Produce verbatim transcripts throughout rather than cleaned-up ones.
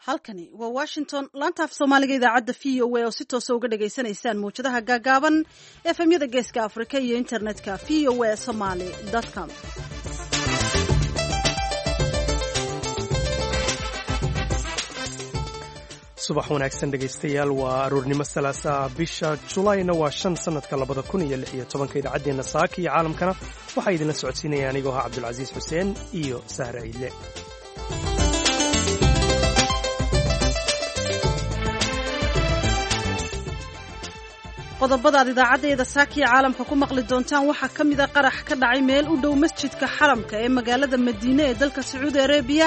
Halkani waa Washington, laanta af Soomaaliga, idaacadda V O A oo si toosa uga dhagaysanaysaan mawjadaha gaagaaban, F M-yada Geeska Afrika iyo internetka V O A Somaly com. Subax wanaagsan, dhegaystayaal. Waa aroornimo Salaasaa, bisha Julayna waa shan, sanadka labada kun iyo lix iyo tobanka. Idaacaddeenna saaka iyo caalamkana waxaa idinla socodsiinaya anigoo ahaa Cabdulcasiis Xuseen iyo Sahre Ciidle. Qodobada aad idaacaddeeda saakiya caalamka ku maqli doontaan waxaa ka mid a qarax ka dhacay meel u dhow masjidka Xaramka ee magaalada Madiine ee dalka Sacuudi Arabiya.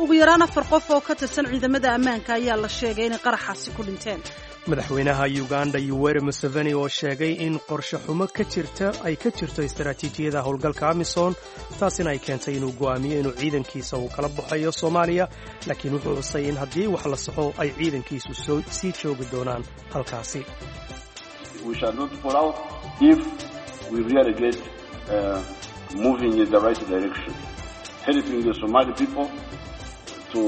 Ugu yaraan afar qof oo ka tirsan ciidamada ammaanka ayaa la sheegay inay qaraxaasi ku dhinteen. Madaxweynaha Uganda Yuweri Museveni oo sheegay in qorshe xumo ka jirta ay ka jirto istaraatiijiyada howlgalka AMISOM, taasina ay keentay inuu go'aamiyo inuu ciidankiisa uu kala baxayo Soomaaliya, laakiin wuxuu xusay in haddii wax la saxo ay ciidankiisu sii joogi doonaan halkaasi. We shall not fall out if we really get uh, moving in the right direction, helping the Somali people to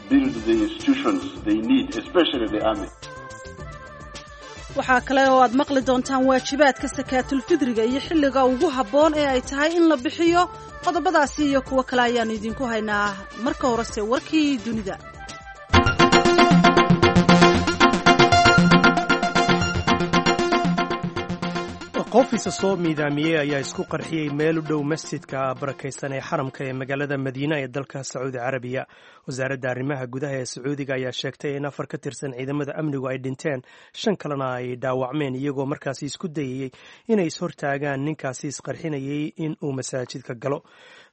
build the institutions they need, especially the army. Waxaa kale oo aad maqli doontaan waajibaadka sakaatulfidriga iyo xilliga ugu habboon ee ay tahay in la bixiyo. Qodobadaasi iyo kuwo kale ayaannu idinku haynaa. Marka horese warkii dunida. Qof isa soo miidaamiyey ayaa isku qarxiyey meel u dhow masjidka barakaysan ee Xaramka ee magaalada Madiina ee dalka Sacuudi Carabiya. Wasaaradda arrimaha gudaha ee Sacuudiga ayaa sheegtay in afar ka tirsan ciidamada amnigu ay dhinteen, shan kalena ay dhaawacmeen, iyagoo markaasi isku dayayey inay ishortaagaan ninkaasi isqarxinayey in uu masaajidka galo.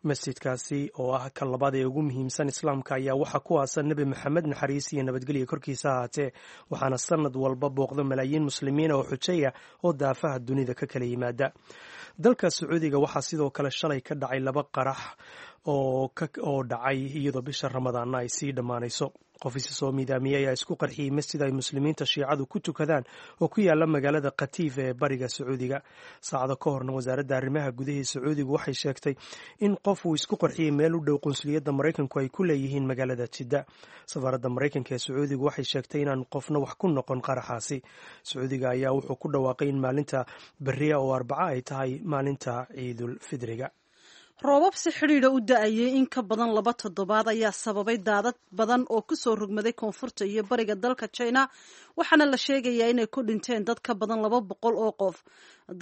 Masjidkaasi oo ah ka labaad ee ugu muhiimsan Islaamka ayaa waxaa ku aasan Nebi Maxamed, naxariis iyo nabadgelya korkiisa ahaatee, waxaana sanad walba booqda malaayiin Muslimiina oo xujaya oo daafaha dunida ka kala yimaada. Dalka Sacuudiga waxaa sidoo kale shalay ka dhacay laba qarax oo dhacay iyadoo bisha Ramadaanna ay sii dhammaanayso. Qof isa soo miidaamiyey ayaa isku qarxiyey masjid ay Muslimiinta Shiicadu ku tukadaan oo ku yaala magaalada Khatiif ee bariga Sacuudiga. Saacado ka horna wasaaradda arrimaha gudahii Sacuudigu waxay sheegtay in qof uu isku qarxiyey meel u dhow qunsuliyadda Maraykanku ay ku leeyihiin magaalada Jidda. Safaaradda Maraykanka ee Sacuudigu waxay sheegtay inaan qofna wax ku noqon qaraxaasi. Sacuudiga ayaa wuxuu ku dhawaaqay in maalinta beriya oo Arbaca ay tahay maalinta Ciidul Fidriga. Roobab si xidhiidha u da-ayay in ka badan laba toddobaad ayaa sababay daadad badan oo kusoo rogmaday koonfurta iyo bariga dalka China, waxaana la sheegayaa inay ku dhinteen dad ka badan laba boqol oo qof.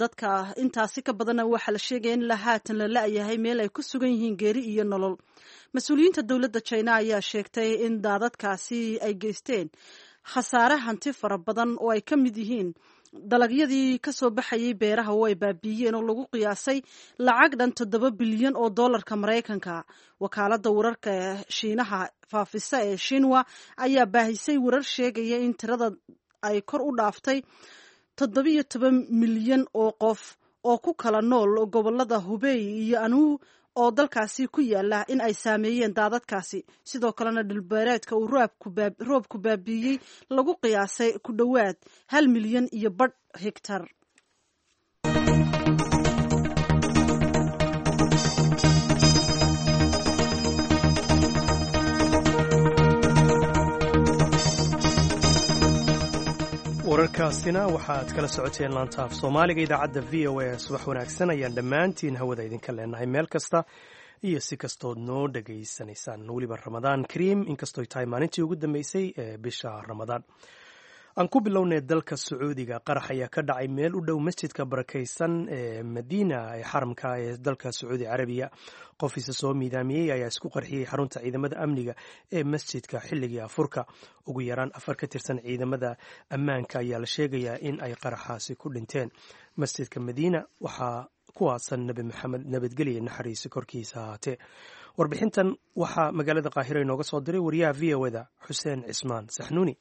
Dadka intaasi ka badanna waxaa la sheegaya in la haatan la la-yahay meel ay ku sugan yihiin, geeri iyo nolol. Mas-uuliyiinta dowladda China ayaa sheegtay in daadadkaasi ay geysteen khasaare hanti fara badan oo ay ka mid yihiin dalagyadii ka soo baxayay beeraha oo ay baabiiyeen, oo lagu qiyaasay lacag dhan toddoba bilyan oo dollarka Maraykanka. Wakaaladda wararka Shiinaha faafisa ee Shinwa ayaa baahisay warar sheegaya in tirada ay kor u dhaaftay toddobiyo toban milyan oo qof oo ku kala nool gobolada Hubey iyo Anuu oo dalkaasi ku yaala in ay saameeyeen daadadkaasi. Sidoo kalena dhulbeereedka uu roobku baabiiyey lagu qiyaasay ku dhowaad hal milyan iyo badh hegtar. Wararkaasina waxaad kala socoteen laanta af Soomaaliga idaacadda V O A. Subax wanaagsan ayaan dhammaantiin hawada idinka leenahay meel kasta iyo si kastood noo dhegaysanaysaan. Weliba Ramadaan kariim, inkastooy tahay maalintii ugu dambeysay ee bisha Ramadaan. Aan ku bilownay dalka Sacuudiga. Qarax ayaa ka dhacay meel u dhow masjidka barakaysan ee Madiina ee Xaramka ee dalka Sacuudi Carabiya. Qof isa soo miidaamiyey ayaa isku qarxiyey xarunta ciidamada amniga ee masjidka xilligii afurka. Ugu yaraan afar ka tirsan ciidamada ammaanka ayaa la sheegayaa in ay qaraxaasi ku dhinteen. Masjidka Madiina waxaa ku aasan Nebi Maxamed, nabadgelya naxariisi korkiisa ahaatee. Warbixintan waxaa magaalada Qaahiro inooga soo diray wariyaha V O A da Xuseen Cismaan Saxnuuni.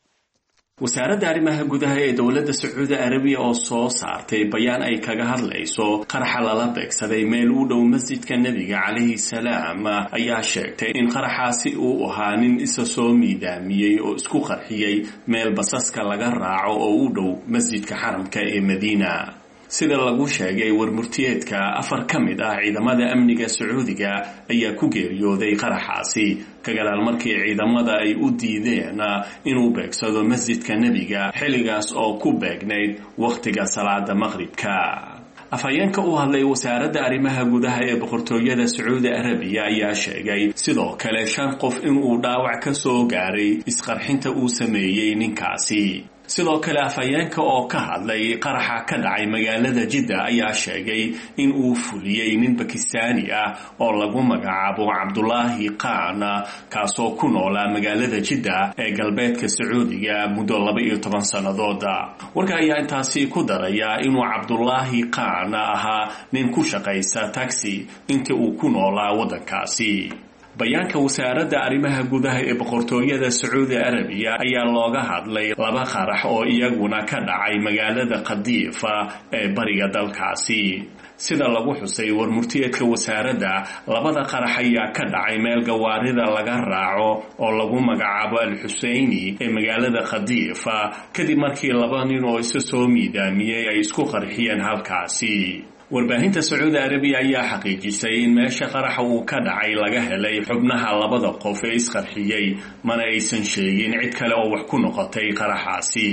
Wasaaradda arrimaha gudaha ee dowladda Sacuudi Arabiya oo soo saartay bayaan ay kaga hadlayso qaraxa lala beegsaday meel u dhow masjidka Nebiga calayhi salaam ayaa sheegtay in qaraxaasi uu ahaa nin isa soo miidaamiyey oo isku qarxiyey meel basaska laga raaco oo u dhow masjidka Xaramka ee Madiina. Sida lagu sheegay warmurtiyeedka, afar ka mid ah ciidamada amniga Sacuudiga ayaa ku geeriyooday qaraxaasi ka gadaal markii ciidamada ay u diideen inuu beegsado masjidka nebiga xilligaas oo ku beegnayd wakhtiga salaada maqribka. Afhayeenka u hadlay wasaaradda arrimaha gudaha ee boqortooyada Sacuudi Arabiya ayaa sheegay sidoo kale shan qof inuu dhaawac ka soo gaaray isqarxinta uu sameeyey ninkaasi. Sidoo kale afhayeenka oo ka hadlay qaraxa ka dhacay magaalada Jidda ayaa sheegay in uu fuliyey nin Bakistaani ah oo lagu magacaabo Cabdulaahi Qaan, kaasoo ku noolaa magaalada Jidda ee galbeedka Sacuudiga muddo laba iyo toban sannadooda. Warka ayaa intaasi ku daraya inuu Cabdulaahi Qaan ahaa nin ku shaqaysa taxi intii uu ku noolaa waddankaasi. Bayaanka wasaaradda arrimaha gudaha ee boqortooyada Sacuudi Arabiya ayaa looga hadlay laba qarax oo iyaguna ka dhacay magaalada Qadiifa ee bariga dalkaasi. Sida lagu xusay warmurtiyeedka wasaaradda, labada qarax ayaa ka dhacay meel gawaarida laga raaco oo lagu magacaabo Al-Xuseyni ee magaalada Qadiifa, kadib markii laba nin oo isa soo miidaamiyey ay isku qarxiyeen halkaasi. Warbaahinta Sacuudi Arabiya ayaa xaqiijisay in meesha qaraxa uu ka dhacay laga helay xubnaha labada qof ee isqarxiyey, mana aysan sheegin cid kale oo wax ku noqotay qaraxaasi.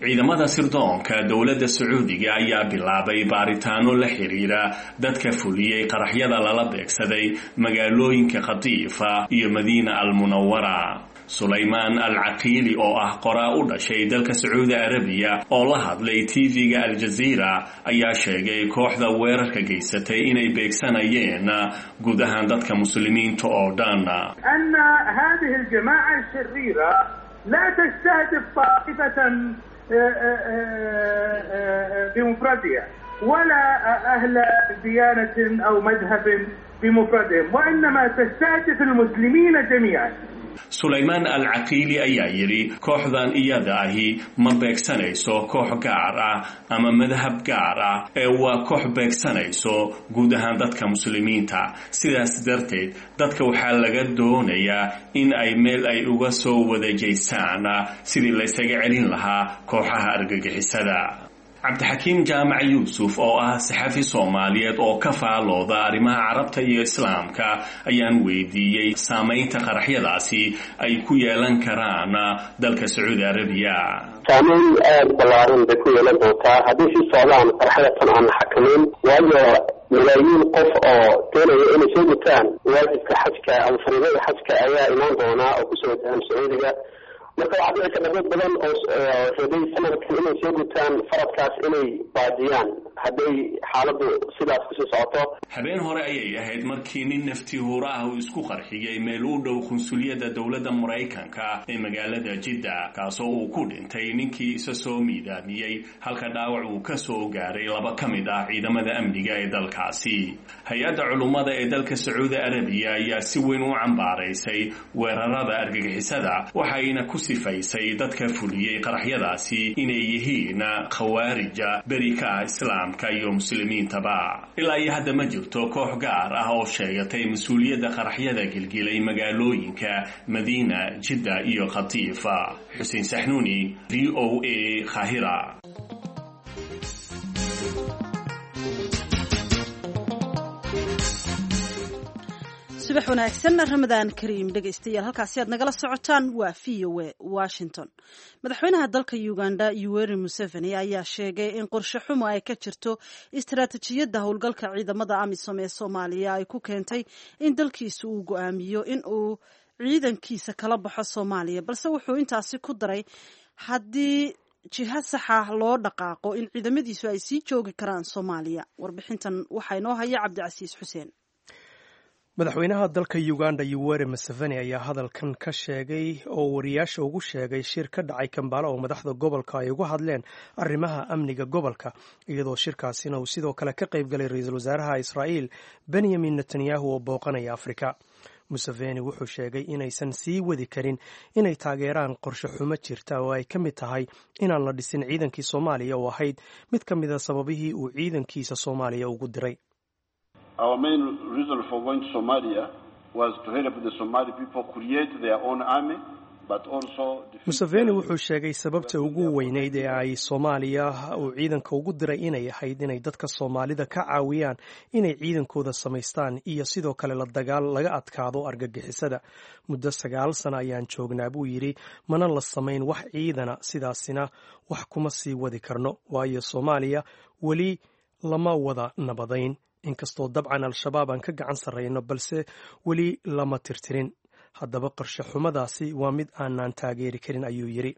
Ciidamada sirdoonka dowladda Sacuudiga ayaa bilaabay baaritaano la xiriira dadka fuliyey qaraxyada lala beegsaday magaalooyinka Qadiifa iyo Madiina Almunawara. Sulaymaan Al-Caqiili oo ah qoraa u dhashay dalka Sacuudi Arabiya oo la hadlay T V-ga Al-Jazeera ayaa sheegay kooxda weerarka geysatay inay beegsanayeen guud ahaan dadka muslimiinta oo dhan. أن هذه الجماعة الشريرة لا تستهدف طائفة بمفردها ولا أهل ديانة أو مذهب بمفردهم، وإنما تستهدف المسلمين جميعا. Sulaymaan Al-Caqiili ayaa yidhi, kooxdan iyada ahi ma beegsanayso koox gaar ah ama madhab gaar ah, ee waa koox beegsanayso guud ahaan dadka muslimiinta. Sidaas darteed dadka waxaa laga doonayaa in ay meel ay uga soo wadajeysaan sidii laysaga celin lahaa kooxaha argagixisada. Cabdixakiim Jaamac Yuusuf oo ah saxafi Soomaaliyeed oo ka faalooda arrimaha Carabta iyo Islaamka ayaan weydiiyey saamaynta qaraxyadaasi ay ku yeelan karaan dalka Sacuudi Arabiya. Saameyn aada ballaaran bay ku yeelan doontaa haddii sii socdaan qaraxyada tan aan la xakameyn, waayo malaayiin qof oo doonaya inay soo gutaan waajibka xajka ama fariidada xajka ayaa imaan doonaa oo kusoo wajahan Sacuudiga. Marka waxaa dhici karta dad badan oo rabay sanadkan inay soo gutaan faradkaas inay baajiyaan hadday xaaladdu sidaas kusii socoto. Habeen hore ayay ahayd markii nin nafti huura ah uu isku qarxiyey meel u dhow qunsuliyadda dowladda Maraykanka ee magaalada Jidda, kaasoo uu ku dhintay ninkii isa soo miidaamiyey, halka dhaawac uu ka soo gaaray laba ka mid ah ciidamada amniga ee dalkaasi. Hay-adda culummada ee dalka Sacuudi Arabiya ayaa si weyn u cambaaraysay weerarada argagixisada, waxayna ku sifaysay dadka fuliyey qaraxyadaasi inay yihiin khawaarija beri ka ah Islaamka iyo muslimiintaba. Ilaa iyo hadda ma jirto koox gaar ah oo sheegatay mas-uuliyadda qaraxyada gilgilay magaalooyinka Madiina, Jidda iyo Khatiifa. Xuseen Saxnuuni, V O A, Khahira. Subax wanaagsan, Ramadaan kariim dhegaystayaal. Halkaasi aad nagala socotaan waa V O A Washington. Madaxweynaha dalka Uganda Yoweri Museveni ayaa sheegay in qorshe xumo ay ka jirto istaraatijiyadda howlgalka ciidamada AMISOM ee Soomaaliya ay ku keentay in dalkiisu uu go-aamiyo in uu ciidankiisa kala baxo Soomaaliya, balse wuxuu intaasi ku daray haddii jiha saxa loo dhaqaaqo in ciidamadiisu ay sii joogi karaan Soomaaliya. Warbixintan waxaa inoo haya Cabdicasiis Xuseen. Madaxweynaha dalka Uganda Yoweri Museveni ayaa hadalkan ka sheegay oo wariyaasha ugu sheegay shir ka dhacay Kambala oo madaxda gobolka ay uga hadleen arrimaha amniga gobolka, iyadoo shirkaasina uu sidoo kale ka qayb galay ra-iisul wasaaraha Israa'iil Benyamin Netanyahu oo booqanaya Afrika. Museveni wuxuu sheegay inaysan sii wadi karin inay taageeraan qorshe xumo jirta oo ay ka mid tahay inaan la dhisin ciidankii Soomaaliya oo ahayd mid ka mida sababihii uu ciidankiisa Soomaaliya ugu diray. Our main reason for going to Somalia was to help the Somali people create their own army, Museveni wuxuu sheegay sababta ugu weyneyd ee ay Soomaaliya uu ciidanka ugu diray inay ahayd inay dadka Soomaalida ka caawiyaan inay ciidankooda samaystaan iyo sidoo kale la dagaal laga adkaado argagixisada. Muddo sagaal sano ayaan joognaa, buu yidhi, mana la samayn wax ciidana, sidaasina wax kuma sii wadi karno, waayo Soomaaliya weli lama wada nabadayn, inkastoo dabcan Al-Shabaab aan ka gacan sarrayno, balse weli lama tirtirin. Haddaba qorshe xumadaasi waa mid aanaan taageeri karin, ayuu yidhi.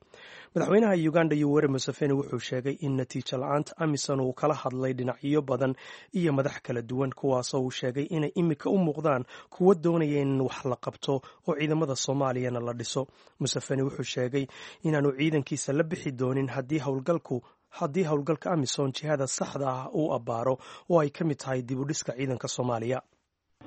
Madaxweynaha Uganda Yoweri Museveni wuxuu sheegay in natiijo la-aanta AMISOM uu kala hadlay dhinacyo badan iyo madax kala duwan, kuwaasoo uu sheegay inay imika u muuqdaan kuwo doonaya in wax la qabto oo ciidamada Soomaaliyana la dhiso. Museveni wuxuu sheegay inaanu ciidankiisa la bixi doonin haddii howlgalku haddii howlgalka AMISOM jihada saxda ah uu abbaaro, oo ay ka mid tahay dib u dhiska ciidanka Soomaaliya.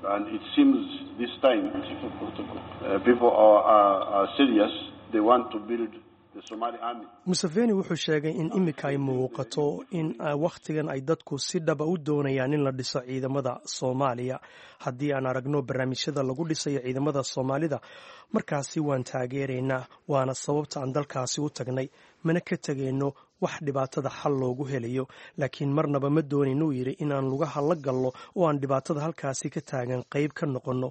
And it seems this time uh, people are, are, are serious. They want to build the Somali army. Museveni wuxuu sheegay in imika ay muuqato in wakhtigan ay dadku si dhaba u doonayaan in la dhiso ciidamada Soomaaliya. Haddii aan aragno barnaamijyada lagu dhisayo ciidamada Soomaalida, markaasi waan taageeraynaa, waana sababta aan dalkaasi u tagnay, mana ka tegayno wax dhibaatada xal loogu helayo, laakiin marnaba ma doonaynuu yidhi inaan lugaha la gallo oo aan dhibaatada halkaasi ka taagan qayb ka noqonno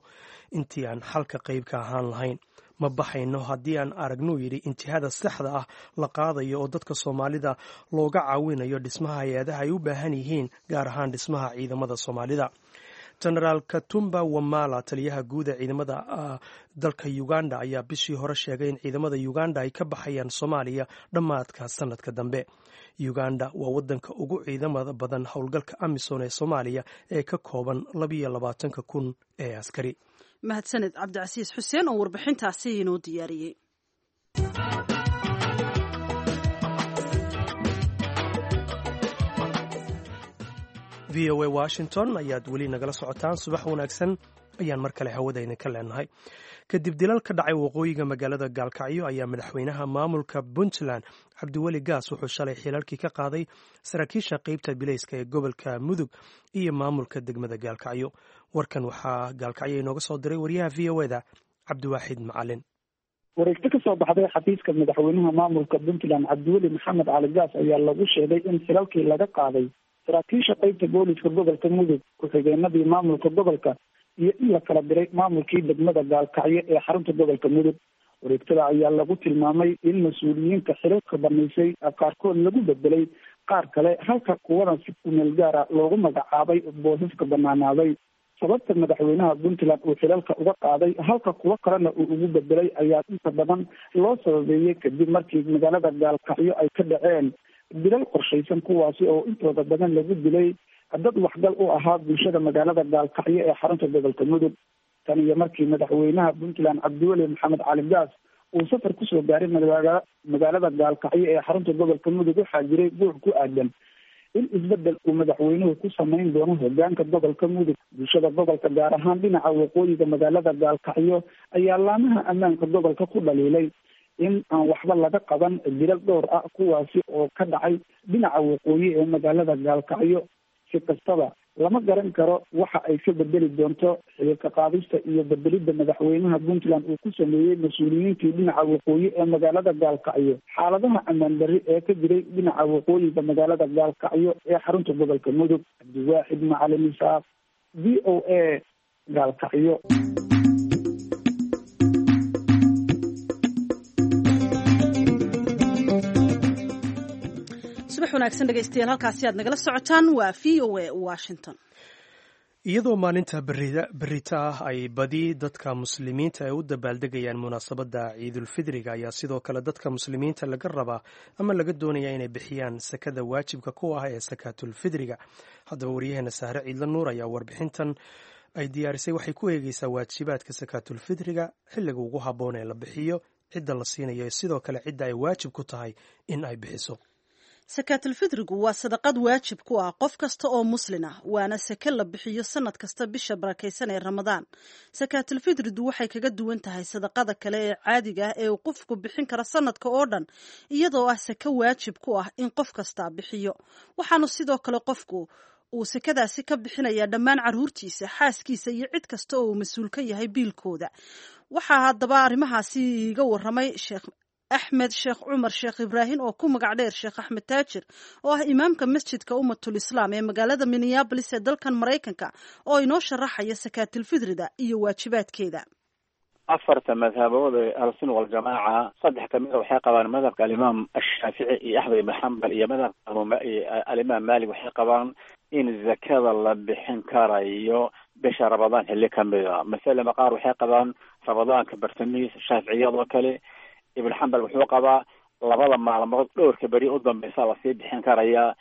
intii aan xalka qayb ka ahaan lahayn. Ma baxayno haddii aan aragnuu yidhi intihada saxda ah la qaadayo oo dadka Soomaalida looga caawinayo dhismaha hay-adaha ay u baahan yihiin, gaar ahaan dhismaha ciidamada Soomaalida. Genaraal Katumba Wamala, taliyaha guud ee ciidamada dalka Uganda, ayaa bishii hore sheegay in ciidamada Uganda ay ka baxayaan Soomaaliya dhammaadka sanadka dambe. Uganda waa wadanka ugu ciidamada badan howlgalka AMISOM ee Soomaaliya ee ka kooban labiyo labaatanka kun ee askari. Mahadsaned Cabdicasiis Xuseen oo warbixintaasi inoo diyaariyey. V O A Washington ayaad weli nagala socotaan. Subax wanaagsan ayaan mar kale hawada idinka leenahay. Kadib dilal ka dhacay waqooyiga magaalada Gaalkacyo ayaa madaxweynaha maamulka Puntland Cabdiweli Gaas wuxuu shalay xilalkii ka qaaday saraakiisha qeybta bilayska ee gobolka Mudug iyo maamulka degmada Gaalkacyo. Warkan waxaa Gaalkacyo inooga soo diray wariyaha V O eda Cabdiwaaxid Macalin. Wareegto ka soo baxday xafiiska madaxweynaha maamulka Puntland Cabdiweli Maxamed Cali Gaas ayaa lagu sheegay in xilalkii laga qaaday saraakiisha qeybta booliska gobolka Mudug, ku-xigeenadii maamulka gobolka iyo in la kala diray maamulkii degmada Gaalkacyo ee xarunta gobolka Mudug. Wareegtada ayaa lagu tilmaamay in mas-uuliyiinta xilalka banaysay qaarkood lagu bedelay qaar kale, halka kuwadan si kumeel gaara loogu magacaabay boosaska banaanaaday. Sababta madaxweynaha Puntland uu xilalka uga qaaday halka kuwo kalena uu ugu bedelay ayaa inta badan loo sababeeyey kadib markii magaalada Gaalkacyo ay ka dhaceen dilal qorshaysan, kuwaasi oo intooda badan lagu dilay dad waxgal u ahaa bulshada magaalada Gaalkacyo ee xarunta gobolka Mudug. Tan iyo markii madaxweynaha Puntland Cabdiweli Maxamed Cali Gaas uu safar kusoo gaaray magaalada Gaalkacyo ee xarunta gobolka Mudug, waxaa jiray guux ku aadan in isbedel uu madaxweynuhu ku samayn doono hogaanka gobolka Mudug. Bulshada gobolka, gaar ahaan dhinaca waqooyiga magaalada Gaalkacyo, ayaa laamaha ammaanka gobolka ku dhaliilay in aan waxba laga qaban dilal dhowr ah, kuwaasi oo ka dhacay dhinaca waqooyi ee magaalada Gaalkacyo. Si kastaba, lama garan karo waxa ay ka bedeli doonto xilka qaadista iyo bedelidda madaxweynaha Puntland uu ku sameeyey mas-uuliyiintii dhinaca waqooyi ee magaalada Gaalkacyo xaaladaha ammaan darri ee ka jiray dhinaca waqooyiga magaalada Gaalkacyo ee xarunta gobolka Mudug. Cabdiwaaxid Macalin Isaaq, V O A, Gaalkacyo. Subax wanaagsan dhegeystayaal, halkaasi aad nagala socotaan waa V O A Washington. Iyadoo maalinta berita ah ay badi dadka muslimiinta ay u dabaaldegayaan munaasabadda Ciidulfidriga, ayaa sidoo kale dadka muslimiinta laga rabaa ama laga doonaya inay bixiyaan sakada waajibka ku ah ee sakaatulfidriga. Haddaba waryaheena Sahre Ciidla Nuur ayaa warbixintan ay diyaarisay waxay ku eegeysaa waajibaadka sakaatulfidriga, xilliga ugu habboon ee la bixiyo, cidda la siinayo, sidoo kale cidda ay waajib ku tahay in ay bixiso. Sakaatulfidrigu waa sadaqad waajib ku ah qof kasta oo muslin ah, waana sake la bixiyo sanad kasta bisha barakaysan ee Ramadaan. Sakaatulfidridu waxay kaga duwan tahay sadaqada kale ee caadiga ah ee uu qofku bixin karo sanadka oo dhan, iyadoo ah sake waajib ku ah in qof kasta bixiyo. Waxaanu sidoo kale qofku uu sekadaasi ka bixinayaa dhammaan carruurtiisa, xaaskiisa iyo cid kasta oo uu mas-uul ka yahay biilkooda. Waxaa haddaba arrimahaasi iiga waramay Sheekh Axmed Sheekh Cumar Sheekh Ibraahim oo ku magac dheer Sheekh Axmed Taajir, oo ah imaamka masjidka Ummatul Islaam ee magaalada Minneapolis ee dalkan Maraykanka, oo inoo sharaxaya sakaatilfidrida iyo waajibaadkeeda. Afarta madhabood ee ahlusunna waljamaaca, saddex kamida waxay qabaan madhabka alimaam Ashaafici iyo Axmed ibn Xambal iyo madhabka alimaam Maalik, waxay qabaan in zakada la bixin karayo bisha Ramadaan xilli kamida. Masalama qaar waxay qabaan Ramadaanka bartamihiisa, shaaficiyadoo kale. Ibn Xambal wuxuu qabaa labada maalmood dhowrka beri u dambeysa lasii bixin karayaa.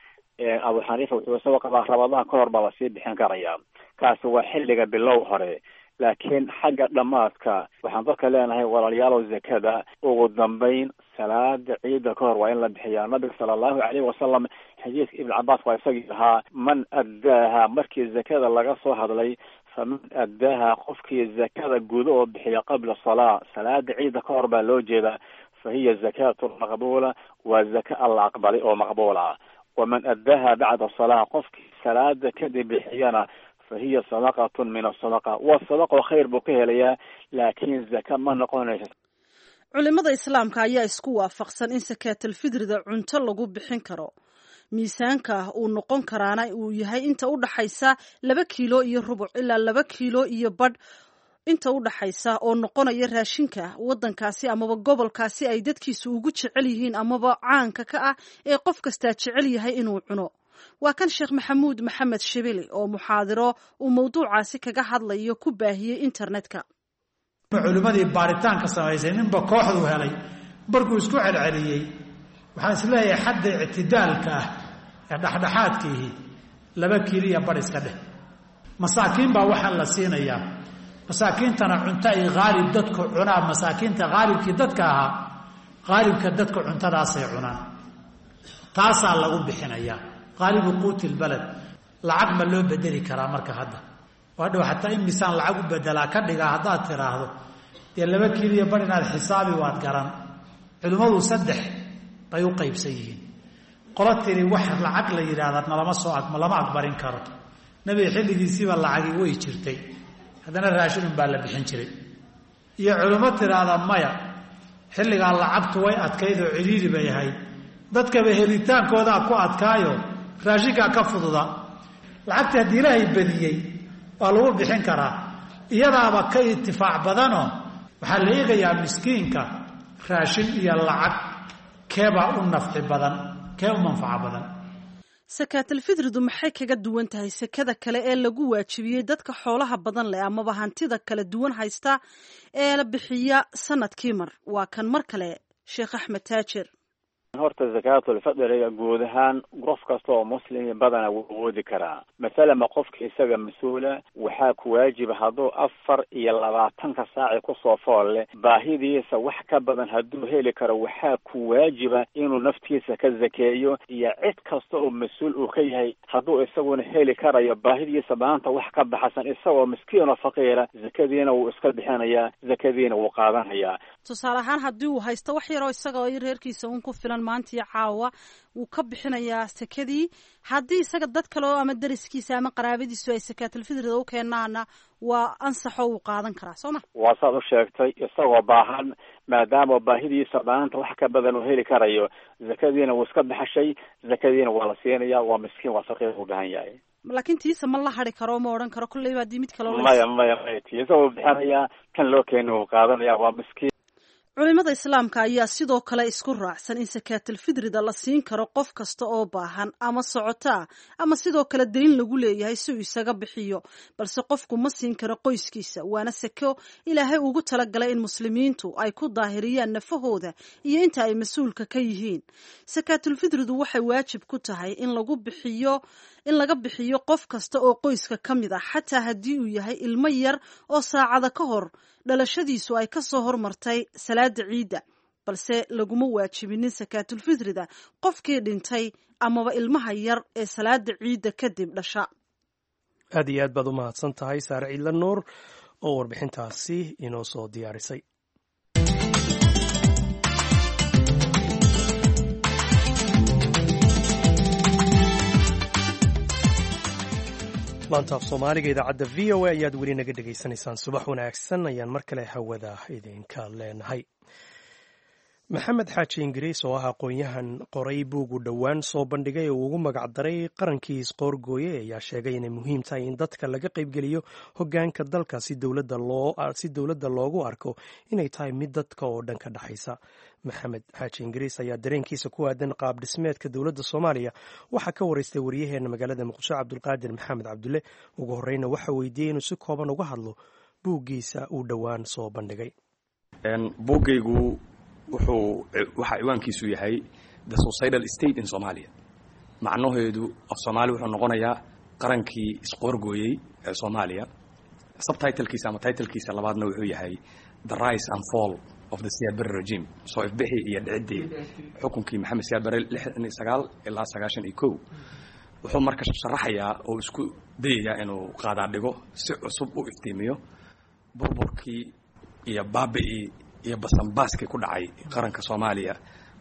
Abu Xaniifa wuxuu isagoo qabaa Ramadaan ka hor baa lasii bixin karayaa. Kaasi waa xilliga bilow hore, laakiin xagga dhammaadka waxaan dadka leenahay, walaalayaalow, zakada ugu dambeyn salaada ciida ka hor waa in la bixiyaa. Nabiga sala allahu calayhi wasalam, xadiiska Ibn Cabaas waa isagii ahaa, man addaaha, markii zakada laga soo hadlay, faman addaaha, qofkii zakada gudo oo bixiya qabla salaa, salaada ciida ka hor baa loo jeedaa, fa hiya zakaatu maqbuula, waa zaka alla aqbalay oo maqbuula. Waman addaaha bacda salaa, qofkii salaada kadib bixiyana, fahiya sadaqatun min asadaqa, waa sadaqo khayr buu ka helayaa, laakiin zaka ma noqonayso. Culimada islaamka ayaa isku waafaqsan in sakaatalfidrida cunto lagu bixin karo, miisaanka uu noqon karaana uu yahay inta u dhaxaysa laba kiilo iyo rubuc ilaa laba kiilo iyo badh inta u dhaxaysa, oo noqonaya raashinka waddankaasi amaba gobolkaasi ay dadkiisu ugu jecel yihiin amaba caanka ka ah ee qof kastaa jecel yahay inuu cuno. Waa kan Sheekh Maxamuud Maxamed Shibili oo muxaadiro uu mawduucaasi kaga hadlayo ku baahiyey internetka. Culimmadii baaritaanka samaysay ninba kooxdu helay markuu isku celceliyey, waxaan isleeyahay xadda ictidaalka ah ee dhexdhexaadkiihi laba kiiliya bar iska dheh. Masaakiin baa waxaan la siinayaa, masaakiintana cunto ay haalib dadku cunaan, masaakiinta haalibkii dadka ahaa, haalibka dadku cuntadaasay cunaan, taasaa lagu bixinayaa haalibu quuti lbalad. Lacag ma loo bedeli karaa marka hadda? Waadhow xataa in misaan lacag u bedelaa ka dhigaa haddaad tiraahdo, dee laba kiiliya bar inaad xisaabi waad garan. Culimmadu saddex bay u qaybsan yihiin. Qolo tiri wax lacag la yidhaahda nalama soo lama aqbarin karo, nebiga xilligiisiiba lacagi way jirtay, haddana raashinun baa la bixin jiray. Iyo culimo tiraahda maya, xilligaa lacagtu way adkayd oo ciriiri bay ahayd, dadkaba helitaankoodaa ku adkaayo raashinkaa ka fududa, lacagta haddii ilaahay badiyey waa lagu bixin karaa, iyadaaba ka itifaac badanoo waxaa la eegayaa miskiinka raashin iyo lacag keebaa u nafci badan, kee u manfaco badan. Sakaatalfidridu maxay kaga duwan tahay sekada kale ee lagu waajibiyey dadka xoolaha badan leh amaba hantida kala duwan haysta ee la bixiya sanadkii mar? Waa kan mar kale Sheekh Axmed Taajir. Horta zakaatulfidriga guud ahaan qof kasta oo muslimi badana wuu awoodi karaa. Masalama qofka isaga mas-uula waxaa ku waajiba hadduu afar iyo labaatanka saaci kusoo fool leh baahidiisa wax ka badan hadduu heli karo, waxaa ku waajiba inuu naftiisa ka zakeeyo iyo cid kasta oo mas-uul uu ka yahay. Hadduu isaguna heli karayo baahidiisa maanta wax ka baxsan, isagoo miskiin oo faqiira, zakadiina wuu iska bixinayaa, zakadiina wuu qaadanayaa. Tusaale ahaan haddii uu haysto wax yaroo isaga iyo reerkiisa un ku filan maantiyo caawa, wuu ka bixinayaa sekadii. Haddii isaga dad kale oo ama dariskiisa ama qaraabadiisu ay sakaatalfidrida u keenaana, waa ansaxoo wuu qaadan karaa, soo ma? Waa saad u sheegtay, isagoo baahan, maadaama baahidiisa maanta wax ka badan uu heli karayo, zakadiina wuu iska baxashay, zakadiina waa la siinaya, waa miskiin, waa faqiir u baahan yahay. Laakiin tiisa ma la hari karo, ma odhan karo kolleyba haddii mid kaloo Maya, maya, maya, tiisa wuu bixinayaa, kan loo keena wuu qaadanaya, waa miskiin. Culimada islaamka ayaa sidoo kale isku raacsan in sakaatalfidrida la siin karo qof kasta oo baahan ama socoto ah ama sidoo kale dayn lagu leeyahay si uu isaga bixiyo, balse qofku ma siin karo qoyskiisa. Waana seko ilaahay ugu talagalay in muslimiintu ay ku daahiriyaan nafahooda iyo inta ay mas-uulka ka yihiin. Sakaatulfidridu waxay waajib ku tahay in lagu bixiyo in laga bixiyo qof kasta oo qoyska ka mid ah, xataa haddii uu yahay ilmo yar oo saacada ka hor dhalashadiisu ay ka soo hormartay salaada ciidda, balse laguma waajibinin sakaatulfidrida qofkii dhintay amaba ilmaha yar ee salaada ciidda kadib dhasha. Aad iyo aad baad u mahadsan tahay Saare Ciidla Nuur oo warbixintaasi inoo soo diyaarisay. Laanta af Soomaaliga idaacadda V O A ayaad weli naga dhegaysanaysaan. Subax wanaagsan ayaan mar kale hawada idinka leenahay. Maxamed Xaaji Ingiriis oo ah aqoon-yahan qoray buugu dhowaan soo bandhigay oo ugu magacdaray Qarankii Isqoorgooye ayaa sheegay inay muhiim tahay in dadka laga qaybgeliyo hoggaanka dalka si dowladda loogu arko inay tahay mid dadka oo dhan ka dhexaysa. Maxamed Xaaji Ingiriis ayaa dareenkiisa ku aadan qaab dhismeedka dowladda Soomaaliya waxaa ka waraystay waryaheena magaalada Muqdisho, Cabdulqaadir Maxamed Cabdulle. Ugu horreyna waxaa weydiiyey inuu si kooban uga hadlo buuggiisa uu dhowaan soo bandhigay. Buuggaygu wuxuu waxaa ciwaankiisu yahay The Suicidal State in Somalia. Macnaheedu af Soomaali wuxuu noqonayaa Qarankii Isqoorgooyey ee Soomaaliya. Subtitlekiisa ama titlekiisa labaadna wuxuu yahay The Rise and Fall of the Siyaad Barre Regime, soo ifbixii iyo dhiciddii xukunkii Maxamed Siyaad Barre lixdan iyo sagaal ilaa sagaashan iyo kow. Wuxuu marka sharaxayaa oo isku dayayaa inuu qaadaa dhigo, si cusub u iftiimiyo burburkii iyo baabi'ii iyo basanbaaskii ku dhacay qaranka Soomaaliya,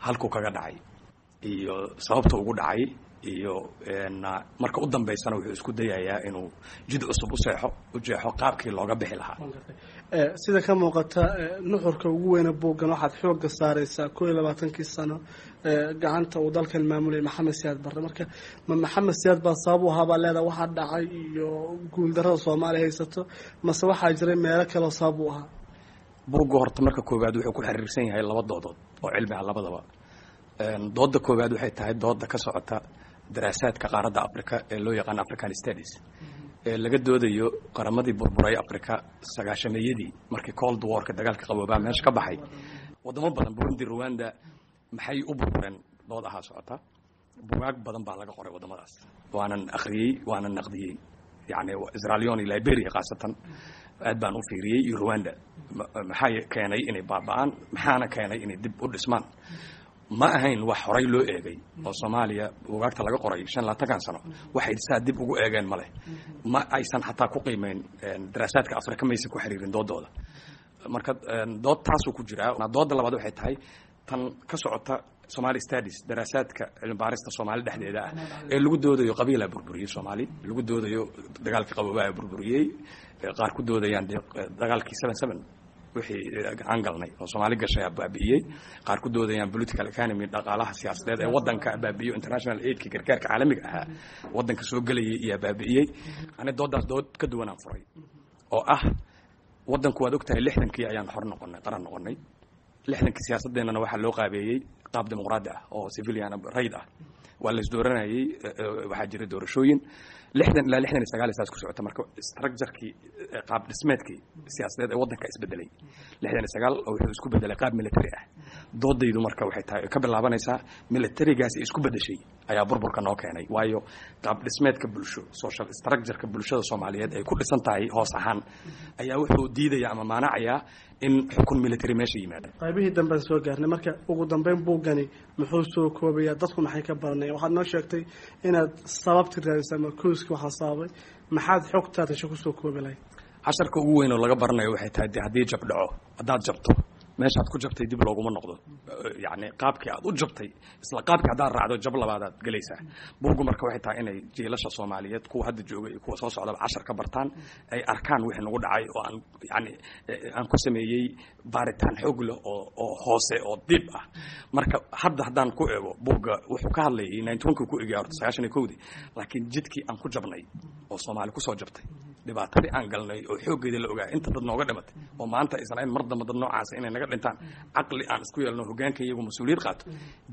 halkuu kaga dhacay iyo sababta ugu dhacay, iyo marka u dambaysana wuxuu isku dayayaa inuu jid cusub u seexo, u jeexo qaabkii looga bixi lahaa. Sida ka muuqata nuxurka ugu weyna buuggan, waxaad xoogga saareysaa koo iyo labaatankii sano gacanta uu dalkan maamulayay Maxamed Siyaad Barre. Marka ma Maxamed Siyaad baa sabab u ahaabaa leedaha waxaa dhacay iyo guuldarrada Soomaaliya haysato, mase waxaa jiray meelo kaleo sabab u ahaa? Buugga horta marka koowaad wuxuu ku xiriirsan yahay laba doodood oo cilmi ah labadaba. Dooda koowaad waxay tahay dooda ka socota daraasaadka qaaradda Africa ee loo yaqaan African Studies, ee laga doodayo qaramadii burburay Africa sagaashameeyadii, markii Cold Warka, dagaalka qaboobaa, meesha ka baxay. Wadamo badan, Burundi, Rwanda, maxay u burbureen? Dood ahaa socota. Bugaag badan baa laga qoray waddamadaas, waanan akhriyey, waanan naqdiyey. Yacni Sierra Leone iyo Liberia khaasatan aad baan u fiiriyey, iyo Rwanda. Maxaa keenay inay baaba'aan? Maxaana keenay inay dib u dhismaan? Ma ahayn wax horay loo eegay oo Soomaaliya bugaagta laga qoray shan labaatankan sano waxay saa dib ugu eegeen ma leh. Ma aysan xataa ku qiimeyn daraasaadka Afrika, maysan ku xiriirin doodooda. Marka dood taasuu ku jiraa. Dooda labaad waxay tahay tan ka socota Somali Studies, daraasaadka cilmi baarista Soomaali dhexdeeda ah, ee lagu doodayo qabiilaa burburiyey Soomaali, lagu doodayo dagaalkii qaboobaa burburiyey, qaar ku doodayaan dagaalkii seven seven wixii gacan galnay oo Soomaali gashay baabi'iyey, qaar ku doodayaan political economy, dhaqaalaha siyaasadeed ee waddanka baabi'iyo, international aidki, gargaarka caalamiga ahaa waddanka soo gelayay iyo baabi'iyey. Ani doodaas dood ka duwanaan furay oo ah waddanku, waad ogtahay, lixdankii ayaan xor noqonay, qaran noqonay. Lixdankii siyaasadeennana waxaa loo qaabeeyey qaab dimuqraadi ah oo civilian, rayd ah. Waa la isdooranayey, waxaa jiray doorashooyin lixdan ilaa lixdan iyo sagaal saas ku socota. Marka structurekii, qaab dhismeedkii siyaasadeed ee waddanka isbedelay lixdan iyo sagaal oo wuxuu isku bedelay qaab military ah. Doodaydu marka waxay tahay, ka bilaabanaysaa militarigaasi isku bedeshay ayaa burburka noo keenay, waayo qaab dhismeedka bulsho, social structureka bulshada Soomaaliyeed ay ku dhisan tahay hoos ahaan ayaa wuxuu diidaya ama maanacayaa in xukun military meesha yimaada. Qaybihii dambean soo gaarnay. Marka ugu dambeyn buuggani muxuu soo koobayaa? Dadku maxay ka baranayaan? Waxaad noo sheegtay inaad sababti raadisay ama kooski waxaa sababay. Maxaad xogtaad hesho kusoo koobi lahayd? Casharka ugu weyn oo laga baranayo waxay tahay de haddii jab dhaco, haddaad jabto, meeshaad ku jabtay dib looguma noqdo. Yacni qaabkii aad u jabtay isla qaabkii haddaad raacdo, jab labaadaad gelaysaa. Buuggu marka waxay tahay inay jiilasha Soomaaliyeed, kuwa hadda jooga iyo kuwa soo socdaba, cashar ka bartaan, ay arkaan wixii nagu dhacay oo aan yacni aan ku sameeyey baaritaan xoog leh oo oo hoose oo dib ah. Marka hadda haddaan ku eego, buugga wuxuu ka hadlayay ninety one kii ku egaya horta, sagaashan iyo kowdii, laakiin jidkii aan ku jabnay oo Soomaali kusoo jabtay, dhibaatadii aan galnay oo xooggeeda la ogaa, inta dad nooga dhimatay, oo maanta aysan ahayn mar damba dad noocaasa inay naga dhintaan, caqli aan isku yeelno, hoggaanka iyagu mas-uuliyad qaato,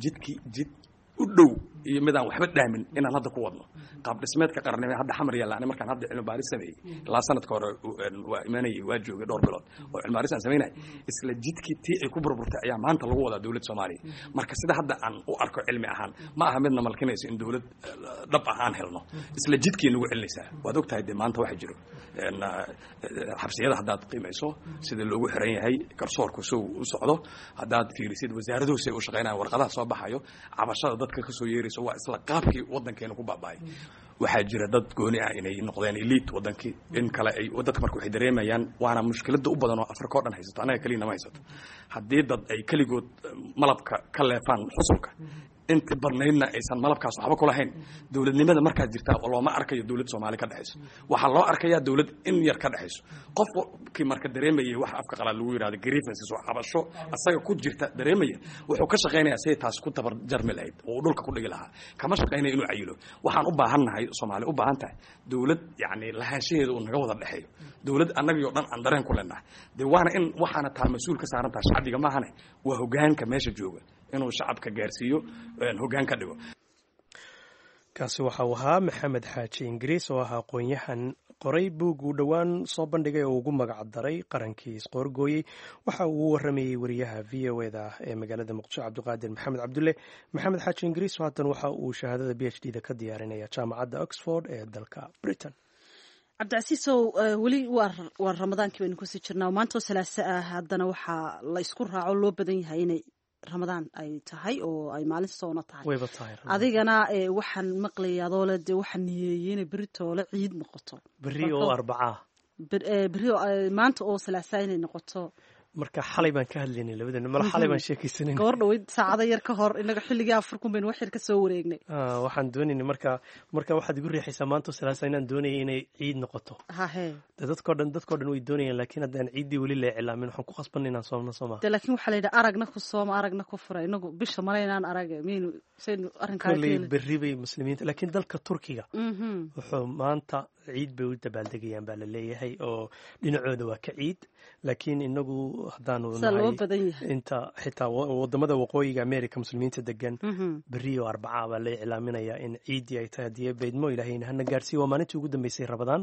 jidkii jid u dhow iyo midaan waxba dhaamin inaan hadda ku wadno qaab dhismeedka qarannimo hadda Xamar yaalla. Ani markaan hadda cilmi baaris sameeyey ilaa sanadka hore, waa imaanayay, waa joogay dhowr bilood oo cilmi baaris aan samaynay, isla jidkii tii ay ku burburtay ayaa maanta lagu wadaa dowladda Soomaaliya. Marka sida hadda aan u arko cilmi ahaan, ma aha midna malkinayso in dowlad dhab ah aan helno. Isla jidkii nagu celinaysaa. Waad ogtahay dee maanta waxa jiro xabsiyada haddaad qiimayso sida loogu xiran yahay, garsoorku sow u socdo, haddaad fiirisid wasaaraduhu say u shaqaynayaan, warqadaha soo baxayo, cabashada dadka kasoo yeerayso, waa isla qaabkii waddankeena ku baaba'ay. Waxaa jira dad gooni ah inay noqdeen elite waddankii, in kale ay dadka. Marka waxay dareemayaan, waana mushkiladda u badan oo Afrika o dhan haysato, annaga keliyana ma haysato, haddii dad ay keligood malabka ka leefaan xusulka. Inta badnaydna aysan malabkaas waxba kulahayn. Dowladnimada markaas jirtaa looma arkayo dowlad Soomaali ka dhexayso, waxaa loo arkayaa dowlad in yar ka dhexayso. Qofkii marka dareemayay waxa afka qalaad lagu yidhahdo grievances oo cabasho asaga ku jirta dareemaya, wuxuu ka shaqaynayaa siday taas ku tabar jarmi lahayd oo uu dhulka ku dhigi lahaa. Kama shaqaynaya inuu cayilo. Waxaan u baahannahay, Soomaali u baahan tahay, dowlad yacni lahaanshaheeda uu naga wada dhexeeyo, dowlad annagii oo dhan aan dareen ku leenahay. Dee waana in waxaana taa mas-uul ka saaran taha shacbiga maahane, waa hogaanka meesha jooga inuu shacabka gaarsiiyo, hoggaan ka dhigo. Kaasi waxa uu ahaa Maxamed Xaaji Ingiriis oo ah aqoon-yahan qoray buug uu dhowaan soo bandhigay oo ugu magac daray Qarankii Isqoorgooyey. Waxa uu u waramayey wariyaha V O eda ee magaalada Muqdisho, Cabdiqaadir Maxamed Cabdulle. Maxamed Xaaji Ingiriis haatan waxa uu shahaadada B H D da ka diyaarinaya jaamacadda Oxford ee dalka Britain. Cabdicasiisow, weli waa Ramadaankii baynu kusii jirnaa, maantoo Salaase ah. Haddana waxaa la isku raaco loo badan yahay inay Ramadaan ay tahay oo ay maalin soona tahay. Wayba tahay. Adigana waxaan maqlaya adoole dee waxaan niyeeyey inay beri toole ciid noqoto. Berri oo Arbacaa. Berri maanta oo Salaasaa inay noqoto. Marka xalay baan ka hadlaynay labadeen mala, xalay baan sheekaysanay. Goor dhaweyd, saacado yar ka hor, inaga xilligii afar kun baynu wax yar ka soo wareegnay. Waxaan doonaynay marka marka waxaad igu riixaysaa maanta Salaasa inaan doonayay inay ciid noqoto. Hahe. De dadkoo dhan dadkoo dhan way doonayaan, laakiin haddaan ciiddii weli la iclaamin, waxaan ku khasbanay inaan soomno, sooma? De laakiin waxaa la yidhi aragna ku sooma, aragna ku fura. Inagu bisha male inaan arag miyaynu saynu arrinkaa. Kolley berri bay muslimiinta, laakiin dalka Turkiga wuxuu maanta ciid bay u dabaaldegayaan baa la leeyahay, oo dhinacooda waa ka ciid. Laakiin inagu haddaanu nahay inta xitaa wadamada waqooyiga America muslimiinta degan, berri oo Arbaca baa la iclaaminayaa in ciiddii ay tahay. Haddii beydmo Ilaahayna hana gaarsiiyo, waa maalintii ugu dambeysay Rabadaan.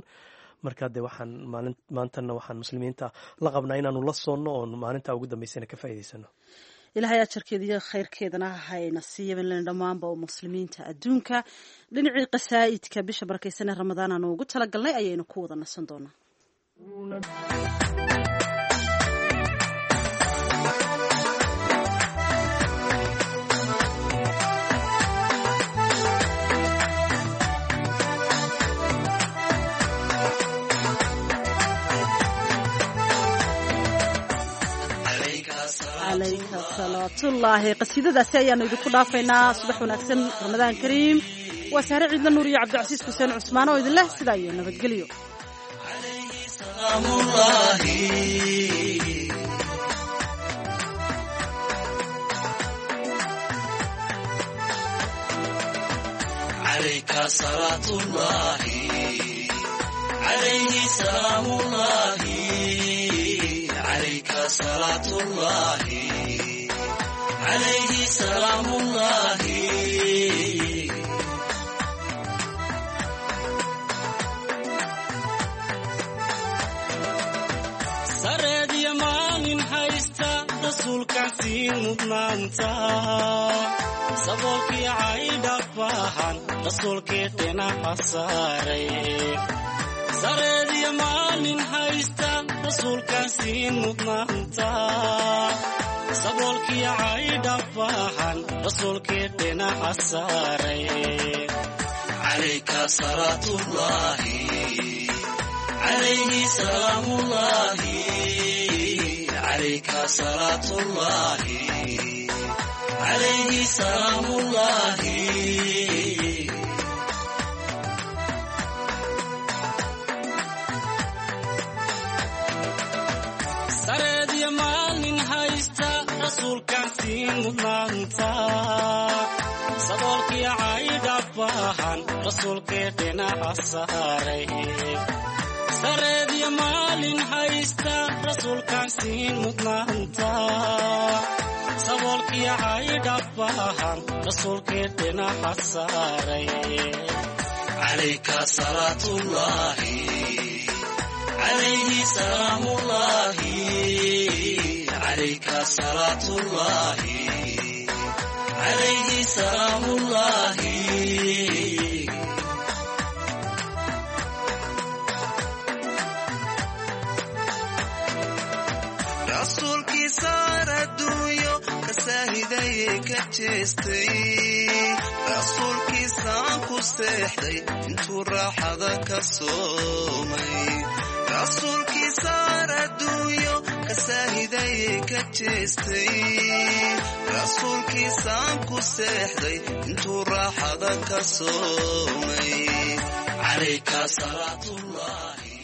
Marka dee waxaan maalin maantana waxaan muslimiinta la qabnaa inaanu la soonno oon maalinta ugu dambeysana ka faa'iidaysano. Ilaahay ajarkeeda iyo khayrkeedana hayna siiya dhammaanba oo muslimiinta adduunka. Dhinacii qasaa'idka bisha barakaysan ee Ramadaan aanu ugu talagalnay ayaynu ku wada nasan doonaa. Calayka salaatullaahi. Qasiidadaasi ayaanu idinku dhaafaynaa. Subax wanaagsan, Ramadaan kariim. Waa Saare Ciidla Nuur iyo Cabdicasiis Xuseen Cusmaan oo idin leh sidaa iyo nabadgelyo. عليه سلام الله. Sareediya maalin haysta rasuulkaan sii mudnaanta, saboolkii caydhabahan rasuulkii dhinaca saaray. Sareediya maalin haysta rasuulkaan sii mudnaanta, saboolkii caydhabahan rasuulkii dhinaca saaray. Calayka salaatullaahi, calayhi salaamullaahi, calayka salaatullaahi, calayhi salaamullaahi. Sareediya maalin haysta rasuulkaan sii mudnaanta, saboolkii caydhabahan rasuulkii dhinaca saaray. Sareediya maalin haysta rasuulkaan sii mudnaanta, saboolkii caydhabahan rasuulkii dhinaca saaray. Calayka salaatullaahi, calayhi salaamullaahi, calayka salaatullaahi, calayhi salaamullaahi. Rasuulkii saar adduunyo kasaahidaye ka jeestay, rasuulkiisaan ku seexday intuu raaxada ka soomay. Rasuulkii saar adduunyo kasaahidaye Shisheeye ka jeestay, rasuulkiisaan ku seexday intuu raaxada ka soomay. Calayka salaatullaahi.